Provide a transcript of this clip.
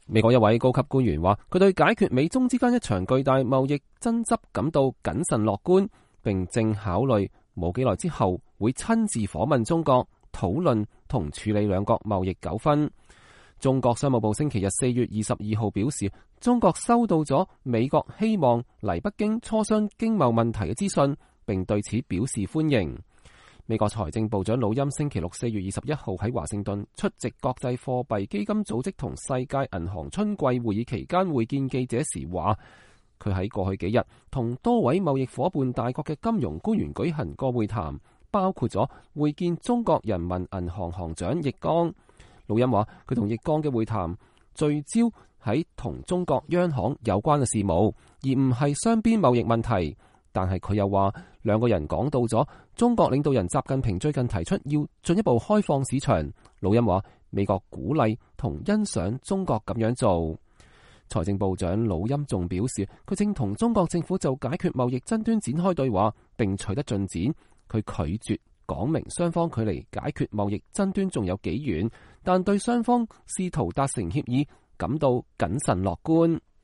美國一位高級官員話，佢對解決美中之間一場巨大貿易爭執感到謹慎樂觀，並正考慮冇幾耐之後會親自訪問中國，討論同處理兩國貿易糾紛。中國商務部星期日4月22號表示，中國收到咗美國希望嚟北京磋商經貿問題嘅資訊，並對此表示歡迎。美國財政部長魯欽星期六4月21號喺華盛頓出席國際貨幣基金組織同世界銀行春季會議期間會見記者時話，佢喺過去幾日同多位貿易夥伴大國嘅金融官員舉行過會談，包括咗會見中國人民銀行行長易綱。魯欽話，佢同易綱嘅會談聚焦喺同中國央行有關嘅事務，而唔係雙邊貿易問題。但係佢又話，兩個人講到咗中國領導人習近平最近提出要進一步開放市場。魯欽話，美國鼓勵同欣賞中國咁樣做。財政部長魯欽仲表示，佢正同中國政府就解決貿易爭端展開對話，並取得進展。佢拒絕講明雙方距離解決貿易爭端仲有幾遠，但對雙方試圖達成協議感到謹慎樂觀。